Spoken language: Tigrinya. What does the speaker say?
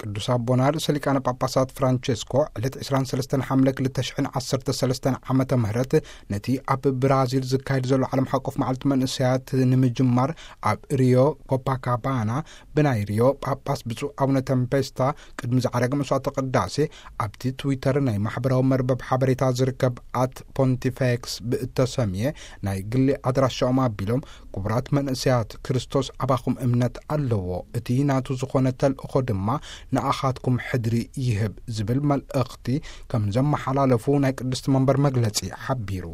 ቅዱስ ኣቦና ርእሰ ሊቃነ ጳጳሳት ፍራንቸስኮ ዕለት ዕስራን ሰለስተን ሓምለ ክልተ ሽሕን ዓሰርተ ሰለስተን ዓመተ ምህረት ነቲ ኣብ ብራዚል ዝካየድ ዘሎ ዓለም ሓቆፍ መዓልቲ መንእሰያት ንምጅማር ኣብ ሪዮ ኮፓካባና ብናይ ሪዮ ጳጳስ ብፁዕ ኣቡነ ተምፔስታ ቅድሚ ዝዓረገ መስዋዕተ ቅዳሴ ኣብቲ ትዊተር ናይ ማሕበራዊ መርበብ ሓበሬታ ዝርከብ ኣት ፖንቲፌክስ ብእተሰምየ ናይ ግሊ ኣድራሻኦም ኣቢሎም፣ ክቡራት መንእሰያት፣ ክርስቶስ ኣባኹም እምነት ኣለዎ፣ እቲ ናቱ ዝኾነ ተልእኾ ድማ ንኣኻትኩም ሕድሪ ይህብ ዝብል መልእኽቲ ከም ዘመሓላለፉ ናይ ቅድስቲ መንበር መግለጺ ሓቢሩ።